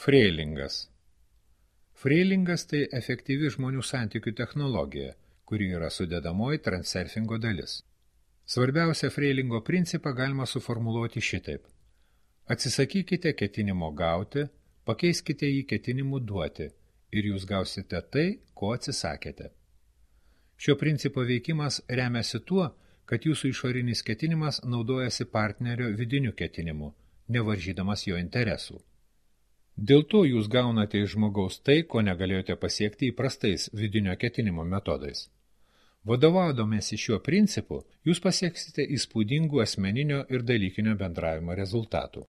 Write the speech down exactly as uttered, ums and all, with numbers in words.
Freilingas. Freilingas tai efektyvi žmonių santykių technologija, kuri yra sudedamoji transurfingo dalis. Svarbiausią Freilingo principą galima suformuluoti šitaip. Atsisakykite ketinimo gauti, pakeiskite jį ketinimu duoti ir jūs gausite tai, ko atsisakėte. Šio principo veikimas remiasi tuo, kad jūsų išorinis ketinimas naudojasi partnerio vidiniu ketinimu, nevaržydamas jo interesų. Dėl to jūs gaunate iš žmogaus tai, ko negalėjote pasiekti įprastais vidinio ketinimo metodais. Vadovaudomėsi šiuo principu, jūs pasieksite įspūdingų asmeninio ir dalykinio bendravimo rezultatų.